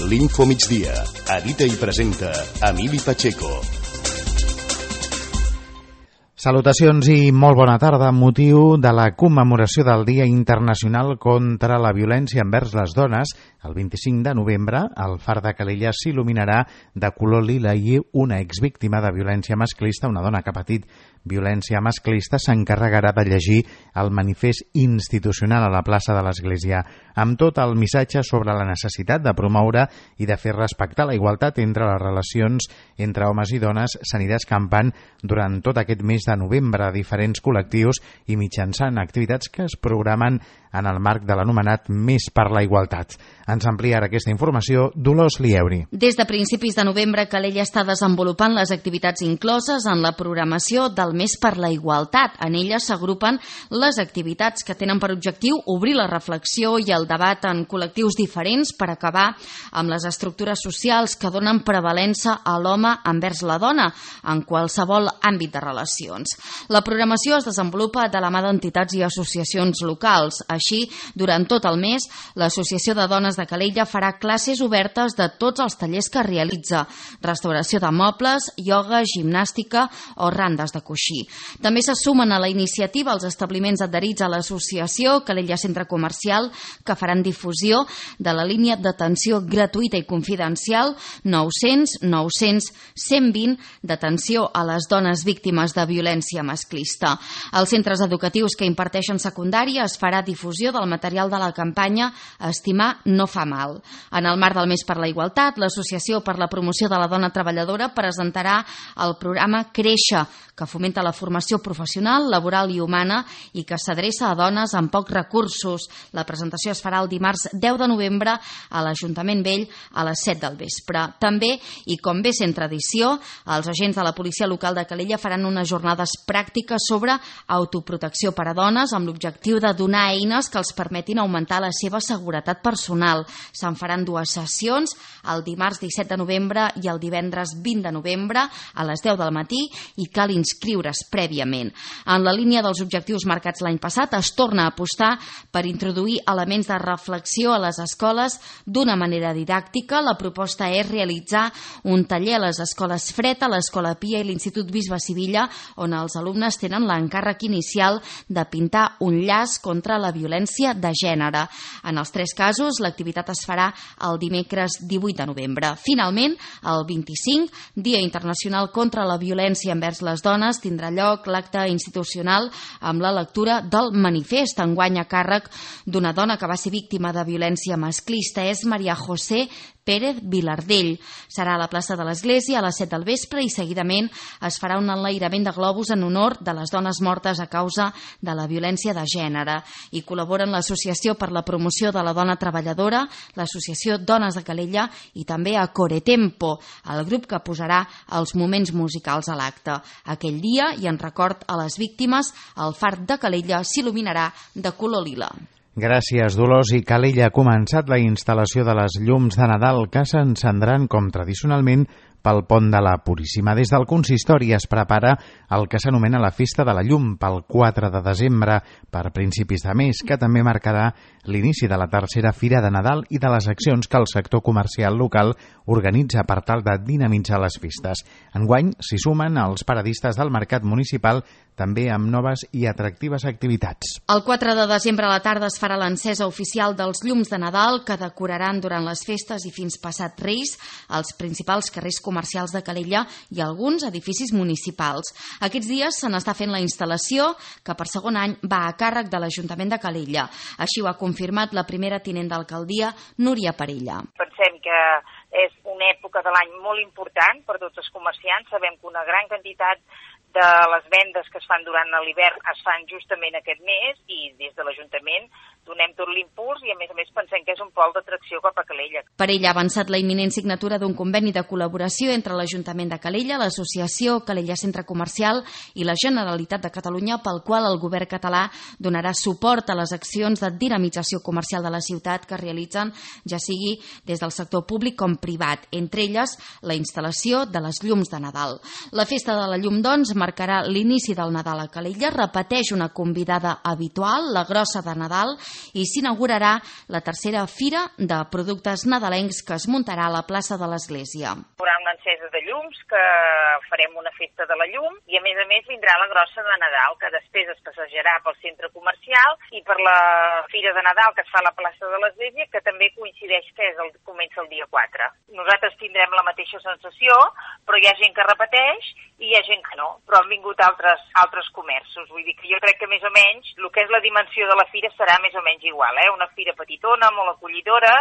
L'Info Migdia. Edita i presenta Emili Pacheco. Salutacions i molt bona tarda. Amb motiu de la commemoració del Dia Internacional contra la Violència envers les Dones, el 25 de novembre, el Far de Calella s'il·luminarà de color lila i una exvíctima de violència masclista, una dona que ha patit violència masclista, s'encarregarà de llegir el manifest institucional a la plaça de l'Església, amb tot el missatge sobre la necessitat de promoure i de fer respectar la igualtat entre les relacions entre homes i dones. S'anirà escampant durant tot aquest mes de novembre a diferents col·lectius i mitjançant activitats que es programen en el marc de l'anomenat Mes per la Igualtat. Ens ampliarà aquesta informació Dolors Lieuri. Des de principis de novembre, Calella està desenvolupant les activitats incloses en la programació del Mes per la Igualtat. En elles s'agrupen les activitats que tenen per objectiu obrir la reflexió i el debat en col·lectius diferents per acabar amb les estructures socials que donen prevalença a l'home envers la dona en qualsevol àmbit de relacions. La programació es desenvolupa de la mà d'entitats i associacions locals. Així, durant tot el mes, l'Associació de Dones de Calella farà classes obertes de tots els tallers que realitza: restauració de mobles, ioga, gimnàstica o randes de coixí. També se sumen a la iniciativa els establiments adherits a l'associació Calella Centre Comercial, que faran difusió de la línia d'atenció gratuïta i confidencial 900 900 120 d'atenció a les dones víctimes de violència masclista. Als centres educatius que imparteixen secundària es farà difusió del material de la campanya Estimar no fa mal. En el marc del Mes per la Igualtat, l'Associació per la Promoció de la Dona Treballadora presentarà el programa Créixer, que fomenta la formació professional, laboral i humana i que s'adreça a dones amb pocs recursos. La presentació es farà el dimarts 10 de novembre a l'Ajuntament Vell a les 7 del vespre. També, i com bé sent tradició, els agents de la policia local de Calella faran unes jornades pràctiques sobre autoprotecció per a dones amb l'objectiu de donar eines que els permetin augmentar la seva seguretat personal. Se'n faran dues sessions, el dimarts 17 de novembre i el divendres 20 de novembre a les 10 del matí, i cal inscriure's prèviament. En la línia dels objectius marcats l'any passat, es torna a apostar per introduir elements de reflexió a les escoles d'una manera didàctica. La proposta és realitzar un taller a les escoles Fred, a l'Escola Pia i l'Institut Bisbe Sivilla, on els alumnes tenen l'encàrrec inicial de pintar un llaç contra la violència de gènere. En els tres casos, l'activitat es farà el dimecres 18 de novembre. Finalment, el 25, Dia Internacional contra la Violència envers les Dones, tindrà lloc l'acte institucional amb la lectura del manifest, enguany a càrrec d'una dona que va ser víctima de violència masclista. És Maria José Pérez Vilardell. Serà a la plaça de l'Església a les 7 del vespre i seguidament es farà un enlairament de globus en honor de les dones mortes a causa de la violència de gènere. Hi col·laboren l'Associació per la Promoció de la Dona Treballadora, l'Associació Dones de Calella i també a Coretempo, el grup que posarà els moments musicals a l'acte. Aquell dia, i en record a les víctimes, el Far de Calella s'il·luminarà de color lila. Gràcies, Dolors. I Calella ha començat la instal·lació de les llums de Nadal que s'encendran com tradicionalment pel pont de la Puríssima. Des del consistori es prepara el que s'anomena la Festa de la Llum pel 4 de desembre, per principis de mes, que també marcarà l'inici de la tercera Fira de Nadal i de les accions que el sector comercial local organitza per tal de dinamitzar les festes. Enguany s'hi sumen els paradistes del mercat municipal, també amb noves i atractives activitats. El 4 de desembre a la tarda es farà l'encesa oficial dels llums de Nadal que decoraran durant les festes i fins passat Reis els principals carrers comercials de Calella i alguns edificis municipals. Aquests dies se n'està fent la instal·lació, que per segon any va a càrrec de l'Ajuntament de Calella. Així ho ha confirmat la primera tinent d'alcaldia, Núria Parella. Pensem que és una època de l'any molt important per tots els comerciants. Sabem que una gran quantitat de les vendes que es fan durant l'hivern es fan justament aquest mes i des de l'Ajuntament donem tot l'impuls i a més pensem que és un pol d'atracció cap a Calella. Parella ha avançat la imminent signatura d'un conveni de col·laboració entre l'Ajuntament de Calella, l'Associació Calella Centre Comercial i la Generalitat de Catalunya, pel qual el govern català donarà suport a les accions de dinamització comercial de la ciutat que realitzen ja sigui des del sector públic com privat, entre elles la instal·lació de les llums de Nadal. La Festa de la Llum, doncs, marcarà l'inici del Nadal a Calella, repeteix una convidada habitual, la Grossa de Nadal, i s'inaugurarà la tercera fira de productes nadalencs que es muntarà a la plaça de l'Església. Hi haurà una encesa de llums, que farem una festa de la llum, i a més vindrà la Grossa de Nadal, que després es passejarà pel centre comercial i per la fira de Nadal que es fa a la plaça de l'Església, que també coincideix que comença el dia 4. Nosaltres tindrem la mateixa sensació, però hi ha gent que repeteix i hi ha gent que no, però han vingut altres comerços. Vull dir que jo crec que més o menys el que és la dimensió de la fira serà més o menys igual, una fira petitona, molt acollidora,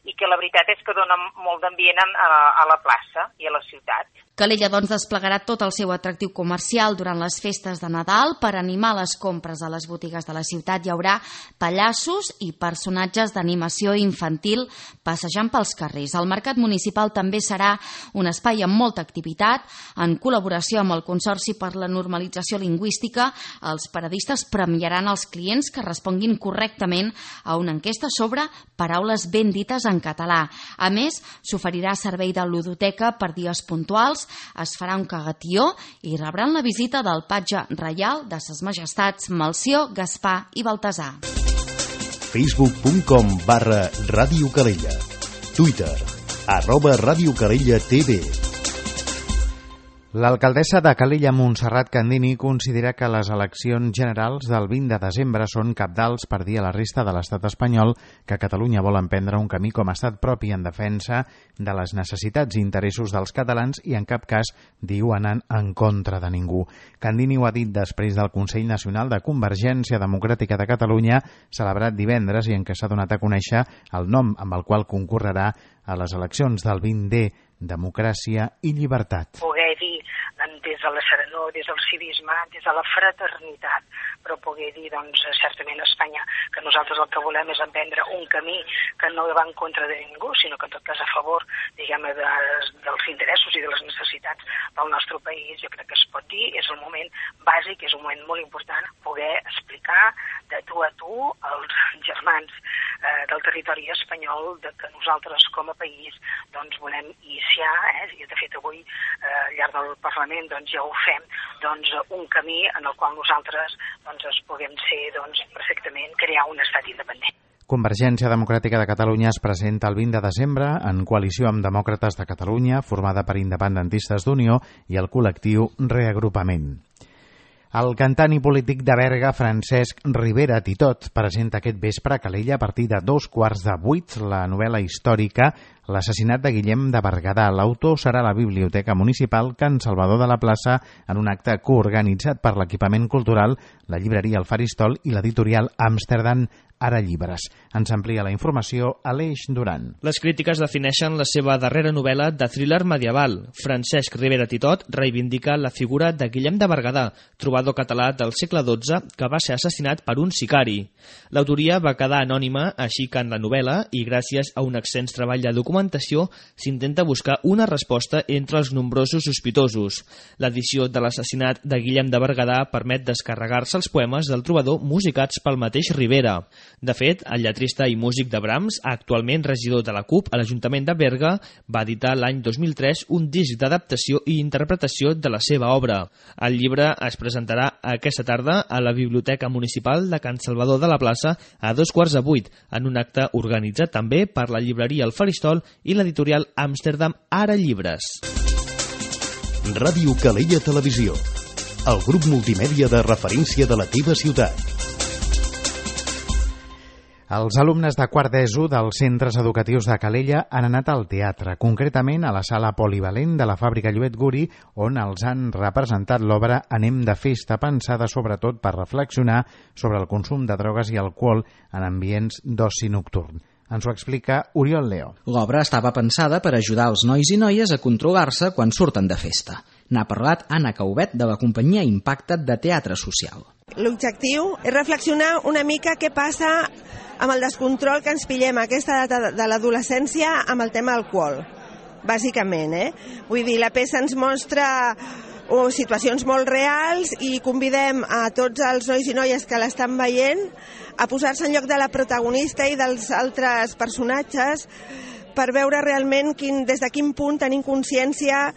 i que la veritat és que dona molt d'ambient a la plaça i a la ciutat. Calella, doncs, desplegarà tot el seu atractiu comercial durant les festes de Nadal. Per animar les compres a les botigues de la ciutat hi haurà pallassos i personatges d'animació infantil passejant pels carrers. El mercat municipal també serà un espai amb molta activitat. En col·laboració amb el Consorci per la Normalització Lingüística, els paradistes premiaran els clients que responguin correctament a una enquesta sobre paraules ben dites en català. A més, s'oferirà servei de ludoteca per dies puntuals, es farà un cagatió i rebran la visita del patge reial de ses majestats Melcior, Gaspar i Baltasar. Facebook.com/Ràdio Calella. Twitter @RadioCalellaTV. L'alcaldessa de Calella, Montserrat Candini, considera que les eleccions generals del 20 de desembre són cabdals per dir a la resta de l'estat espanyol que Catalunya vol emprendre un camí com a estat propi en defensa de les necessitats i interessos dels catalans i en cap cas, diu, anant en contra de ningú. Candini ho ha dit després del Consell Nacional de Convergència Democràtica de Catalunya, celebrat divendres i en què s'ha donat a conèixer el nom amb el qual concorrerà a les eleccions del 20D, Democràcia i Llibertat. Poder dir des de la serenor, des del civisme, des de la fraternitat, però poder dir, doncs, certament a Espanya que nosaltres el que volem és emprendre un camí que no va en contra de ningú, sinó que en tot cas a favor, diguem-ne, dels interessos i de les necessitats del nostre país. Jo crec que es pot dir, és un moment bàsic, és un moment molt important poder explicar de tu a tu als germans del territori espanyol que nosaltres com a país doncs volem iniciar, i de fet avui al llarg del Parlament doncs ja ho fem, doncs un camí en el qual nosaltres doncs es puguem ser perfectament crear un estat independent. Convergència Democràtica de Catalunya es presenta el 20 de desembre en coalició amb Demòcrates de Catalunya, formada per independentistes d'Unió i el col·lectiu Reagrupament. El cantant i polític de Berga, Francesc Ribera Titot, presenta aquest vespre a Calella a partir de 7:15 la novel·la històrica L'assassinat de Guillem de Berguedà. L'autor serà a la Biblioteca Municipal Can Salvador de la Plaça en un acte coorganitzat per l'equipament cultural, la llibreria El Faristol i l'editorial Amsterdam Ara Llibres. Ens amplia la informació Aleix Duran. Les crítiques defineixen la seva darrera novel·la de thriller medieval. Francesc Ribera Titot reivindica la figura de Guillem de Berguedà, trobador català del segle XII que va ser assassinat per un sicari. L'autoria va quedar anònima, així que en la novel·la, i gràcies a un extens treball de documentació, s'intenta buscar una resposta entre els nombrosos sospitosos. L'edició de l'assassinat de Guillem de Berguedà permet descarregar-se els poemes del trobador musicats pel mateix Ribera. De fet, el lletrista i músic de Brahms, actualment regidor de la CUP a l'Ajuntament de Berga, va editar l'any 2003 un disc d'adaptació i interpretació de la seva obra. El llibre es presentarà aquesta tarda a la Biblioteca Municipal de Can Salvador de la Plaça a 7:15 en un acte organitzat també per la llibreria El Faristol i l'editorial Amsterdam Ara Llibres. Ràdio Calella Televisió, el grup multimèdia de referència de la teva ciutat. Els alumnes de quart d'ESO dels centres educatius de Calella han anat al teatre, concretament a la sala polivalent de la fàbrica Lluet Guri, on els han representat l'obra Anem de festa, pensada sobretot per reflexionar sobre el consum de drogues i alcohol en ambients d'oci nocturn. Ens ho explica Oriol Leo. L'obra estava pensada per ajudar els nois i noies a controlar-se quan surten de festa. N'ha parlat Anna Caubet de la companyia Impacta't de Teatre Social. L'objectiu és reflexionar una mica què passa amb el descontrol que ens pillem a aquesta edat de l'adolescència amb el tema alcohol, bàsicament. Vull dir, la peça ens mostra situacions molt reals i convidem a tots els nois i noies que l'estan veient a posar-se en lloc de la protagonista i dels altres personatges per veure realment des de quin punt tenim consciència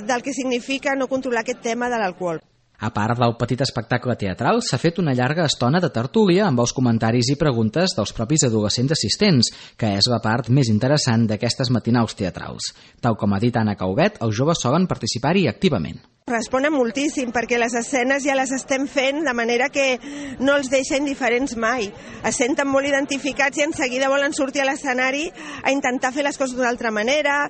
del que significa no controlar aquest tema de l'alcohol. A part del petit espectacle teatral, s'ha fet una llarga estona de tertúlia amb els comentaris i preguntes dels propis adolescents assistents, que és la part més interessant d'aquestes matinals teatrals. Tal com ha dit Anna Caubet, els joves solen participar-hi activament. Responen moltíssim perquè les escenes ja les estem fent de manera que no els deixa indiferents mai. Es senten molt identificats i en seguida volen sortir a l'escenari a intentar fer les coses d'una altra manera.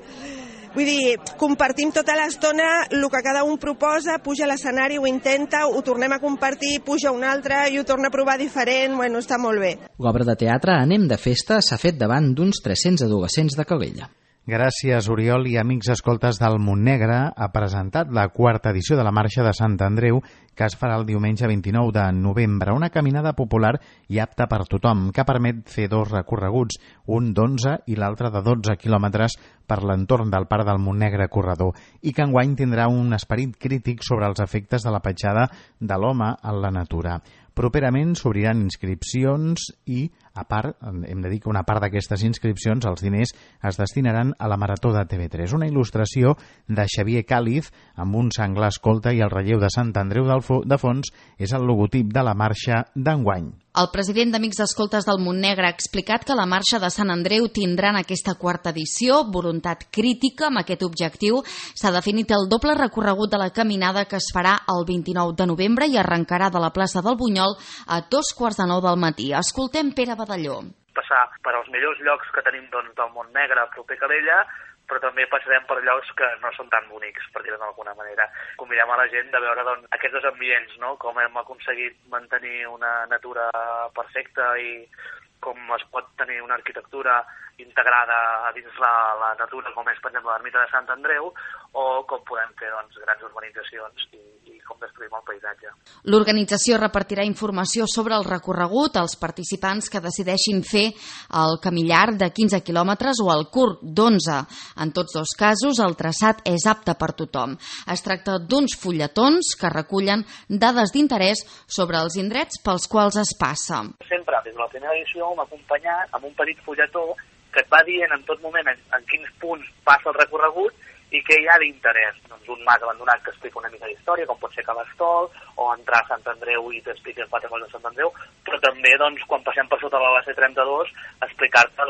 Vull dir, compartim tota l'estona el que cada un proposa, puja a l'escenari, ho intenta, ho tornem a compartir, puja un altre i ho torna a provar diferent, bueno, està molt bé. L'obra de teatre Anem de festa s'ha fet davant d'uns 300 adolescents de Calella. Gràcies, Oriol, i amics escoltes del Montnegre ha presentat la 4ª edició de la Marxa de Sant Andreu, que es farà el diumenge 29 de novembre, una caminada popular i apta per tothom, que permet fer 2 recorreguts, un d'11 i l'altre de 12 quilòmetres per l'entorn del Parc del Montnegre Corredor, i que enguany tindrà un esperit crític sobre els efectes de la petjada de l'home en la natura. Properament s'obriran inscripcions i, a part, hem de dir que una part d'aquestes inscripcions, els diners, es destinaran a la Marató de TV3. Una il·lustració de Xavier Càliz amb un senglar escolta i el relleu de Sant Andreu de fons és el logotip de la marxa d'enguany. El president d'Amics Escoltes del Montnegre ha explicat que la marxa de Sant Andreu tindrà en aquesta 4ª edició voluntat crítica. Amb aquest objectiu s'ha definit el doble recorregut de la caminada que es farà el 29 de novembre i arrencarà de la plaça del Bunyol a 2:45 del matí. Escoltem Pere Badalló. Passar per als millors llocs que tenim del Montnegre proper a Calella, però també passarem per llocs que no són tan bonics, per dir-ho d'alguna manera. Convidem a la gent de veure aquests 2 ambients, no? Com hem aconseguit mantenir una natura perfecta i com es pot tenir una arquitectura integrada a dins la natura, com és, per exemple, l'ermita de Sant Andreu, o com podem fer grans urbanitzacions i com destruïm el paisatge. L'organització repartirà informació sobre el recorregut als participants que decideixin fer el camí llarg de 15 quilòmetres o el curt d'11. En tots 2 casos, el traçat és apte per tothom. Es tracta d'uns fulletons que recullen dades d'interès sobre els indrets pels quals es passa. Sempre, des de la primera edició, m'ha acompanyat amb un petit fulletó que et va dient en tot moment en quins punts passa el recorregut i què hi ha d'interès. Un mas abandonat que explica una mica d'història, com pot ser Cabastol, o entrar a Sant Andreu i t'explica 4 coses de Sant Andreu, però també, quan passem per sota de la C32, explicar-te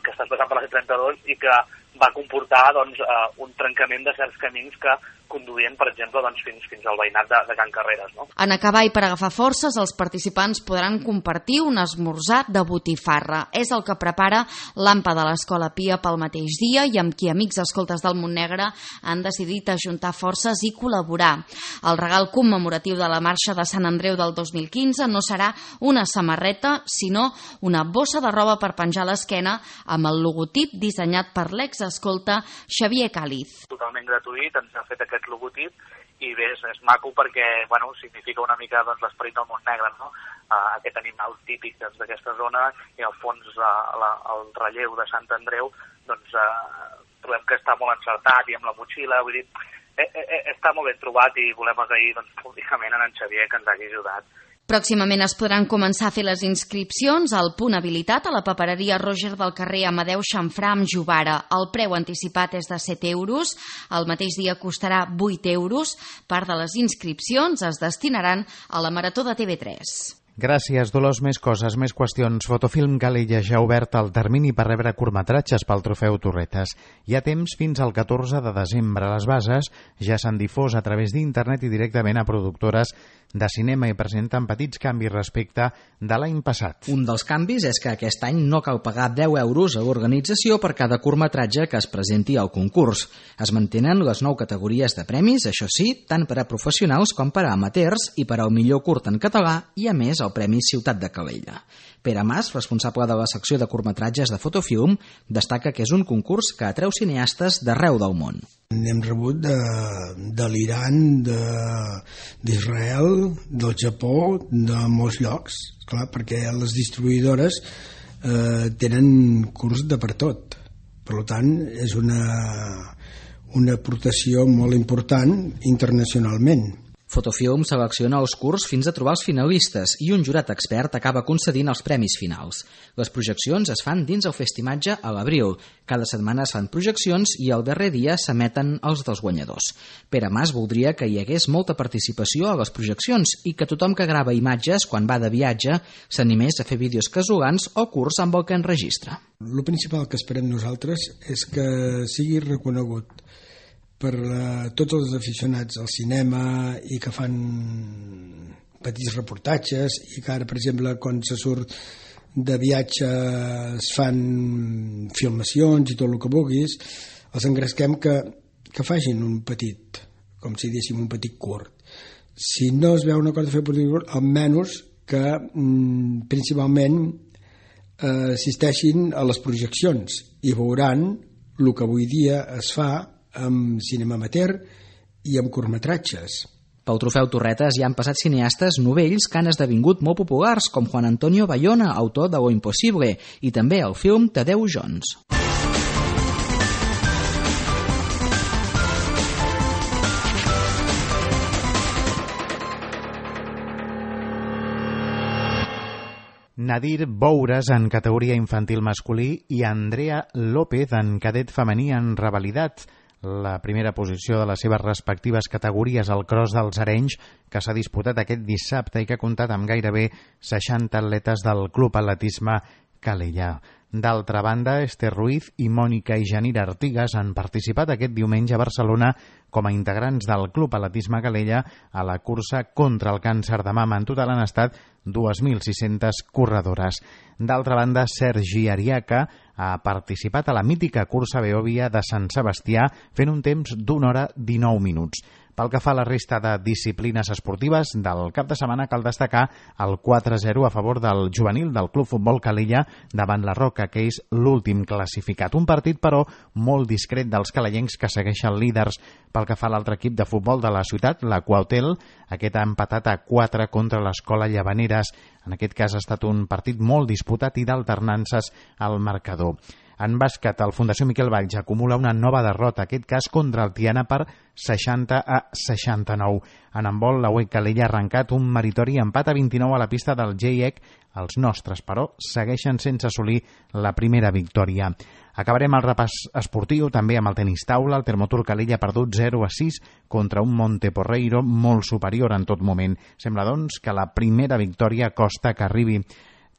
que estàs passant per la C32 i que va comportar un trencament de certs camins que conduïen, per exemple, fins al veïnat de Can Carreres. No? En acabar i per agafar forces, els participants podran compartir un esmorzar de botifarra. És el que prepara l'AMPA de l'Escola Pia pel mateix dia i amb qui Amics Escoltes del Montnegre han decidit ajuntar forces i col·laborar. El regal commemoratiu de la Marxa de Sant Andreu del 2015 no serà una samarreta, sinó una bossa de roba per penjar a l'esquena amb el logotip dissenyat per l'exescolta Xavier Càliz. Totalment gratuït, ens ha fet aquest logotip i bé, és maco perquè significa una mica l'esperit del Montnegre, no? Aquest animal típic d'aquesta zona i al fons el relleu de Sant Andreu trobem que està molt encertat i amb la motxilla, vull dir, està molt ben trobat i volem agrair públicament a en Xavier que ens hagi ajudat. Pròximament es podran començar a fer les inscripcions al punt habilitat a la papereria Roger del carrer Amadeu Xamfrà amb Jovara. El preu anticipat és de 7 euros, el mateix dia costarà 8 euros. Part de les inscripcions es destinaran a la Marató de TV3. Gràcies, Dolors. Més coses, més qüestions. Fotofilm Calella ja ha obert el termini per rebre curtmetratges pel Trofeu Torretes. Hi ha temps fins al 14 de desembre. Les bases ja s'han difós a través d'internet i directament a productores de cinema i presenten petits canvis respecte de l'any passat. Un dels canvis és que aquest any no cal pagar 10 euros a l'organització per cada curtmetratge que es presenti al concurs. Es mantenen les 9 categories de premis, això sí, tant per a professionals com per a amateurs i per al millor curt en català i, a més, el Premi Ciutat de Calella. Pere Mas, responsable de la secció de curtmetratges de Fotofilm, destaca que és un concurs que atreu cineastes d'arreu del món. N'hem rebut de l'Iran, d'Israel, del Japó, de molts llocs, clar, perquè les distribuïdores tenen curs de per tot. Per tant, és una aportació molt important internacionalment. Fotofilm selecciona els curts fins a trobar els finalistes i un jurat expert acaba concedint els premis finals. Les projeccions es fan dins el Festimatge a l'abril. Cada setmana es fan projeccions i el darrer dia s'emeten els dels guanyadors. Pere Mas voldria que hi hagués molta participació a les projeccions i que tothom que grava imatges quan va de viatge s'animés a fer vídeos casolans o curts amb el que enregistra. El principal que esperem nosaltres és que sigui reconegut per tots els aficionats al cinema i que fan petits reportatges i que ara, per exemple, quan se surt de viatge es fan filmacions i tot el que vulguis, els engresquem que facin un petit, com si diguéssim un petit curt. Si no es veu una cosa de fer petit curt, almenys que principalment assisteixin a les projeccions i veuran el que avui dia es fa amb cinema amateur i amb curtmetratges. Pel Trofeu Torretes hi han passat cineastes novells que han esdevingut molt populars, com Juan Antonio Bayona, autor de Lo Impossible, i també el film Tadeu Jones. Nadir Boures en categoria infantil masculí i Andrea López en cadet femení en rivalitat. La primera posició de les seves respectives categories al Cros dels Arenys, que s'ha disputat aquest dissabte i que ha comptat amb gairebé 60 atletes del Club Atletisme Calella. D'altra banda, Esther Ruiz i Mònica i Janira Artigas han participat aquest diumenge a Barcelona com a integrants del Club Atletisme Calella a la cursa contra el càncer de mama. En total han estat 2.600 corredores. D'altra banda, Sergi Ariaca ha participat a la mítica cursa Beòvia de Sant Sebastià fent un temps d'1 hora 19 minuts. Pel que fa a la resta de disciplines esportives, del cap de setmana cal destacar el 4-0 a favor del juvenil del Club Futbol Calella davant la Roca, que és l'últim classificat. Un partit, però, molt discret dels calayencs que segueixen líders. Pel que fa a l'altre equip de futbol de la ciutat, la Quautel, aquest ha empatat a 4 contra l'Escola Llavaneres. En aquest cas ha estat un partit molt disputat i d'alternances al marcador. En bàsquet, el Fundació Miquel Valls acumula una nova derrota, aquest cas contra el Tiana per 60-69. En handbol, la UEC Calella ha arrencat un meritori empat a 29 a la pista del GIEC. Els nostres, però, segueixen sense assolir la primera victòria. Acabarem el repàs esportiu també amb el tenis taula. El Termotur Calella ha perdut 0-6 contra un Monteporreiro molt superior en tot moment. Sembla, doncs, que la primera victòria costa que arribi.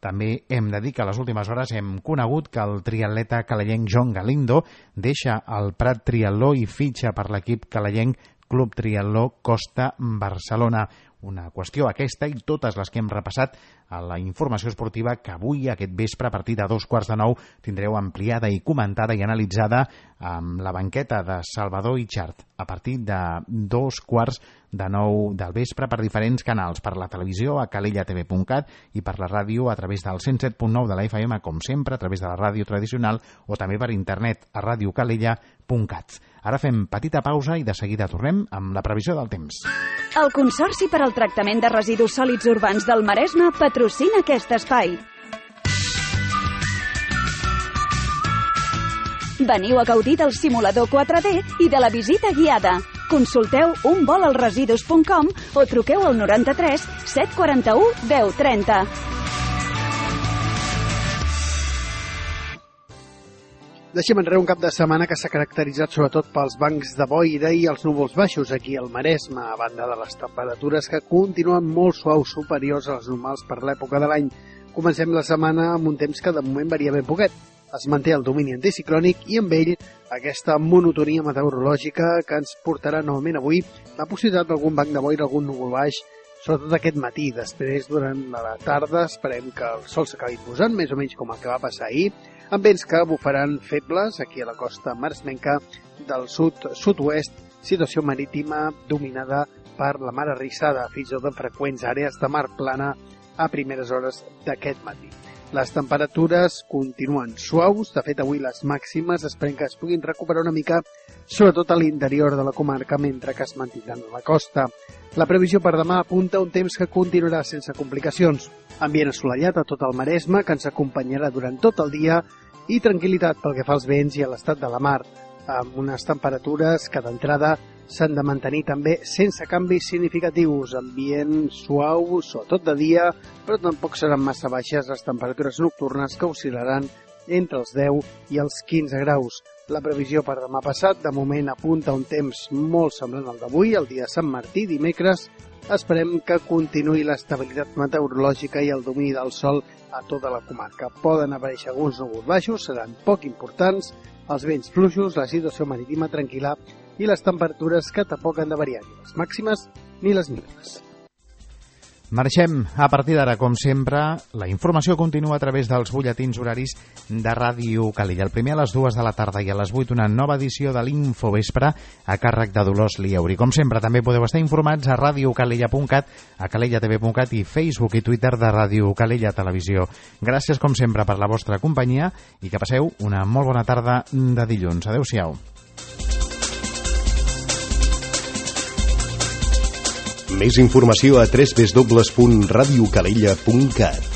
També hem de dir que a les últimes hores hem conegut que el triatleta calellenc John Galindo deixa el Prat Triatló i fitxa per l'equip calellenc Club Triatló Costa Barcelona. Una qüestió aquesta i totes les que hem repassat a la informació esportiva que avui, aquest vespre, a partir de 9:15, tindreu ampliada i comentada i analitzada amb la banqueta de Salvador Itxart a partir de 9:15 del vespre per diferents canals, per la televisió a calellatv.cat i per la ràdio a través del 107.9 de la FM, com sempre, a través de la ràdio tradicional o també per internet a radiocalella.cat. Ara fem petita pausa i de seguida tornem amb la previsió del temps. El Consorci per al Tractament de Residus Sòlids Urbans del Maresme patrocina aquest espai. Veniu a gaudir del simulador 4D i de la visita guiada. Consulteu unvolalresidus.com o truqueu al 93 741 1030. Deixem enrere un cap de setmana que s'ha caracteritzat sobretot pels bancs de boira i els núvols baixos aquí al Maresme, a banda de les temperatures que continuen molt suaus, superiors a les normals per l'època de l'any. Comencem la setmana amb un temps que de moment varia ben poquet. Es manté el domini anticiclònic i amb ell aquesta monotonia meteorològica que ens portarà novament avui la possibilitat d'algun banc de boira, algun núvol baix, sobretot aquest matí. Després, durant la tarda, esperem que el sol s'acabi posant, més o menys com el que va passar ahir, amb vents que bufaran febles aquí a la costa maresmenca del sud-sud-oest, situació marítima dominada per la mar arrissada, fins i tot en freqüents àrees de mar plana a primeres hores d'aquest matí. Les temperatures continuen suaus, de fet avui les màximes esperem que es puguin recuperar una mica, sobretot a l'interior de la comarca, mentre que es mantindran a la costa. La previsió per demà apunta un temps que continuarà sense complicacions. Ambient assolellat a tot el Maresme, que ens acompanyarà durant tot el dia, i tranquil·litat pel que fa als vents i a l'estat de la mar, amb unes temperatures que d'entrada s'han de mantenir també sense canvis significatius. Ambient suau, sobretot de dia, però tampoc seran massa baixes les temperatures nocturnes que oscil·laran entre els 10 i els 15 graus. La previsió per demà passat, de moment, apunta un temps molt semblant al d'avui, el dia de Sant Martí, dimecres. Esperem que continuï l'estabilitat meteorològica i el domini del sol a tota la comarca. Poden aparèixer alguns núvols baixos, seran poc importants, els vents fluixos, la situació marítima tranquil·la i les temperatures que tampoc han de variar ni les màximes ni les mínimes. Marxem. A partir d'ara, com sempre, la informació continua a través dels butlletins horaris de Ràdio Calella. El primer a les 2 de la tarda i a les 8 una nova edició de l'Infovespre a càrrec de Dolors Lieuri. Com sempre, també podeu estar informats a radiocalella.cat, a calellatv.cat i Facebook i Twitter de Ràdio Calella Televisió. Gràcies, com sempre, per la vostra companyia i que passeu una molt bona tarda de dilluns. Adéu-siau. Més informació a www.radiocalella.cat.